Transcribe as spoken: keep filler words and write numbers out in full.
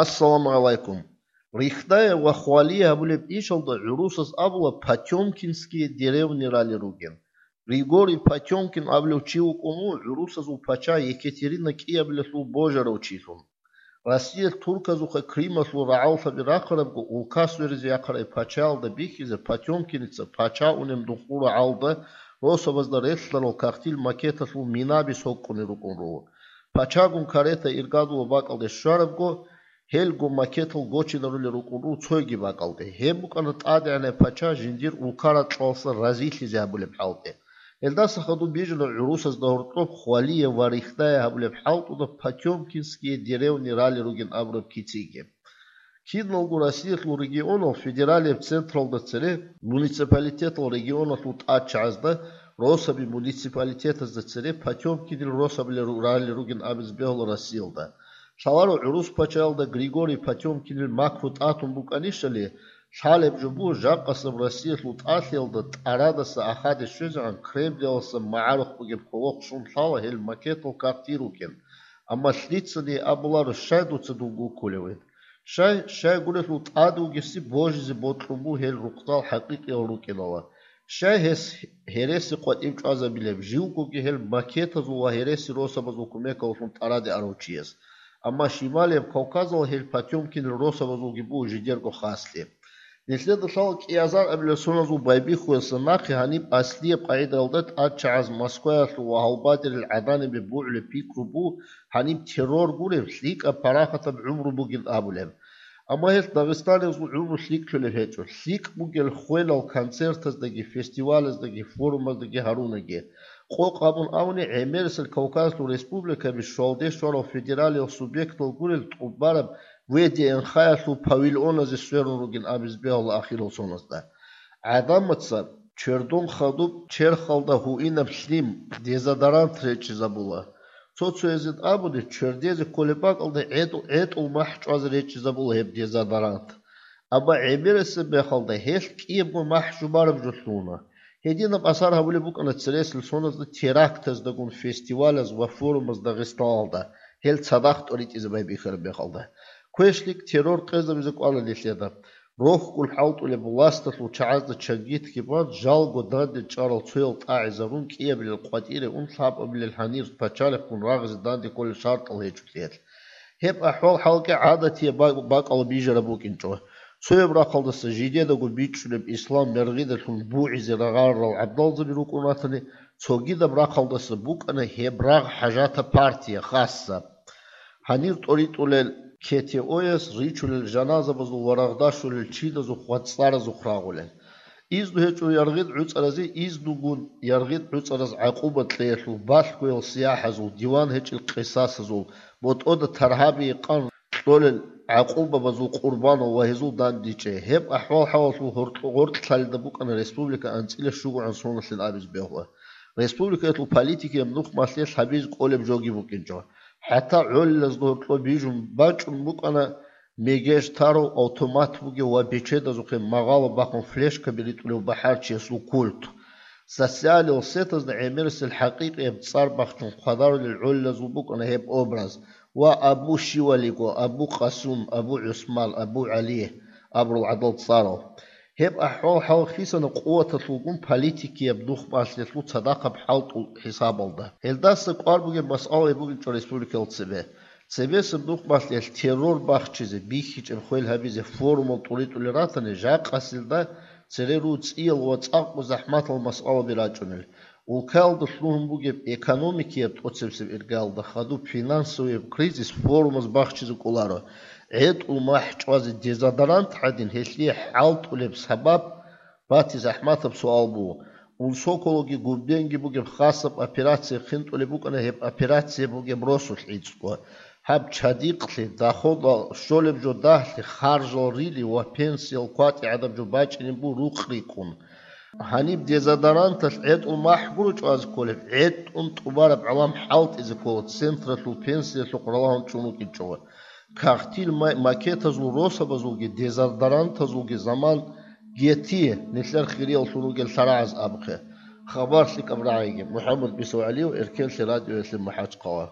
Ассаламу гӀалайкум. Рихтая ва хвалия гьабулеб ишалда гӀурусаз абула Потёмкинские деревни рали ругин. Григорий Потёмкин абулев чи вукӀун вуго гӀурусазул пача Екатерина кӀиабилелъул божарав чилъун. Россия турказухъе Крымалъул рагӀаллъаби рахъарабго, улкас веризе яхъарай пачаялда бихьизе Потёмкиница пача унеб нухул рагӀалда росабазда релълъарал кагътил макеталъул минаби сокӀкӀунел рукӀун руго. Пачагун карета иргадулаб бакӀалде щварабго, гьелго макетал гочинарулел рукӀун руго цоги бакӀалде. Гьеб букӀана тӀадегӀанай пача жиндир улка-ракьалдаса разилъизе гьабулеб хӀалтӀи. Гьелдаса хадуб бижана гӀурусазда гьоркьоб хвалия ва рихтая гьабулеб хӀалтӀуда Потёмкинские деревни рали ругин абураб кициги. Киналго Россиялъул регионал федералияб централда цере муниципалитетал регионалъул тӀадчагӀазда росаби муниципалитетазда цере Потёмкинил росабилел ру-, рали ругин абизе бегьула Россиялда. Лъаларо гӀурус пачаялда Григорий Потёмкинил макру тӀатун букӀанищали, лъалеб жо буго жакъасеб Россиялъул тӀалъиялда тӀарадаса ахаде щвезегӀан Кремльаласа магӀарухъ бугеб кӀолохъ щун лъала гьел макетал кагътил рукӀин. Амма лъицани абуларо, щай дуца дун гуккулевин? Щай, щайгурелъул тӀад вугеси божизе бокьун буго гьел рукъзал хӀакъикъиял рукӀинала. Щай гьес гьереси къватӀив чӀвазабилеб, живгоги гьел макетазул ва гьереси росабазул кумекаллъун тӀараде арав чияс? Амма Шималияб Кавказал гьел Потёмкинил росабазулги буго жидерго хаслъи. Нилъеда лъала кӀиазар абилел соназул байбихьуялъа нахъе гьаниб аслияб къагӀидаялда тӀадчагӀаз Москваялъул ва гьалбадерил гӀаданибе бугӀулеб пикру буго гьаниб террор гуреб, лъикӀаб парахатаб гӀумру бугин абулеб. Амма гьелъ дагъистаниязул гӀумру лъикӀлъулеб гьечӀо. ЛъикӀ бугел хвелал концертаздаги, фестивалаздаги, форумаздаги гьарунаги. Къокъ гьабун абуни, гӀемерисел Кавказалъул республикаби щвалде щварал федералиял субъектал гурел тӀубараб ВДНХ-ялъул павильоназе сверун ругин абизе бегьула ахирал соназда. ГӀадамаца чердон хадуб черхалда гьуинаб лъим, дезодорант речӀчӀизабула. Цо-цоязе абуни, чердезе кколеб бакӀалда гӀетӀ-, гӀетӀул махӀ чӀвазе речӀчӀизабула гьеб дезодорант. Амма гӀемерисеб мехалда гьелъ кӀиябго махӀ жубараб жо лъугьуна. Гьединаб асар гьабулеб букӀана цересел соназда терактаздагун фестивалаз ва форумаз Дагъистаналда, гьел цадахъ тӀоритӀизе байбихьараб мехалда. КвешлъикӀ террор къезабизе кӀвала нилъеда. Рохьулъ хӀалтӀулеб власталъул чагӀазда чангитги бан, жалго данде чӀарал цоял тӀагӀизарун, кӀиабилел къватӀире ун, лъабабилел гьанир пачалихъгун рагъизе данде кколел шартӀал гьечӀолъиялъ. Гьеб ахӀвал-хӀалги гӀадатияб ба-, бакӀалда бижараб букӀинчӀо. Цояб рахъалдаса жидедаго бичӀчӀулеб ислам мергъидалъун бугӀизе рагъарарал гӀабдалзаби рукӀун ратани, цогидаб рахъалдаса букӀана гьеб рагъ хӀажатаб партия, хасса. Гьанир тӀоритӀулел КТО-яс ричулел жаназабазул ва рагъдашулел чидазухъ ва цӀаразухъ рагъулел. Изну гьечӀо яргъид гӀуцӀаразе, изнугун яргъид гӀуцӀараз гӀакъуба кьеялъул, балъгоял сияхӀазул, диван гьечӀел къисасазул, ботӀода таргьабие къан кьолел гӀакъубабазул къурбанал ва гьезул дандечӀей. Гьеб ахӀвал-хӀалалъул гьоркь-, гъоркьлъалида букӀана республика анцӀила щугогӀан соналъин абизе бегьула. Республикаялъул политикияб нухмалъе лъабизе кӀолеб жоги букӀинчӀо. ХӀатта гӀолилазда гьоркьоб бижун бачӀун букӀана мегеж тарав, автомат бугев ва бечедазухъе магъало бахъун флешкаби ритӀулев бахӀарчиясул культ. Социалил сетазда гӀемерисел хӀакъикъияб цӀар бахчун хъвадарулел гӀолилазул букӀана гьеб образ ва Абу Щивалиго, Абу Къасум, Абу ГӀусман, Абу ГӀали абурал гӀадал цӀарал. Гьеб ахӀвал-хӀал хисана къуваталъулгун политикияб нухмалъиялъул цадахъаб хӀалтӀул хӀисабалда. Гьелдаса кӀвар бугеб масъала бугинчӀо республикаялда цебе. Цебесеб нухмалъиялъ террор бахчизе, бихьичӀеб хвел гьабизе форумал тӀуритӀулел ратани, жакъасилда цере руцӀиял ва цӀакъго захӀматал масъалаби рачӀунел. Улкаялда лъугьун бугеб экономикияб тӀоцебсеб иргаялда хадуб финансовияб кризис форумаз бахчизе кӀоларо. ГӀетӀул махӀ чӀвазе дезодорант гӀадин гьелъие хӀалтӀулеб сабаб бати захӀматаб суал буго. Унсокологи губденги бугеб хасаб операция хинтӀулеб букӀана гьеб операция бугеб росулъ гӀицӀго. Гьаб чадихълъи, доходал щолеб жо дагьлъи, харжал рили ва пенсиял кватӀи гӀадаб жо бачӀинеб бу рукъ рикӀкӀун. Гьаниб дезодоранталъ гӀетӀул махӀ гуро чӀвазе кколеб, гӀетӀун тӀубараб гӀалам хӀалтӀизе ккола централъул пенсиялъухъ ралагьун чӀун рукӀинчӀого. Кагътил ма-, макетазул росабазулги дезодорантазулги заман гьети нилъер хирияллъун ругел лъарагӀаз абухъе. Хабар лъикӀаб рагӀиги. МухӀаммад Бисов ГӀалиев, Эркенлъи радиоялъе МахӀачхъала.